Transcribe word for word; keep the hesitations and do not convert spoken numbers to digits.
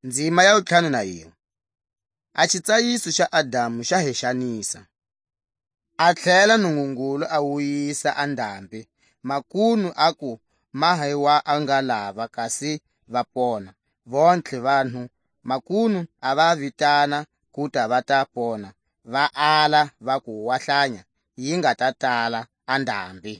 Ndzima ya wutlhanu na yinwe. A xitsayiso xa Adamu xa hexanisa. A tlhela Nungungulu a wuyisa a ndhambi, makunu aku maha wa a nga lava kasi va pona. Vontlhe vanhu makunu a va vitana ku ta va ta pona, va ala va ku wa hlanya yi nga ta tala a ndhambi.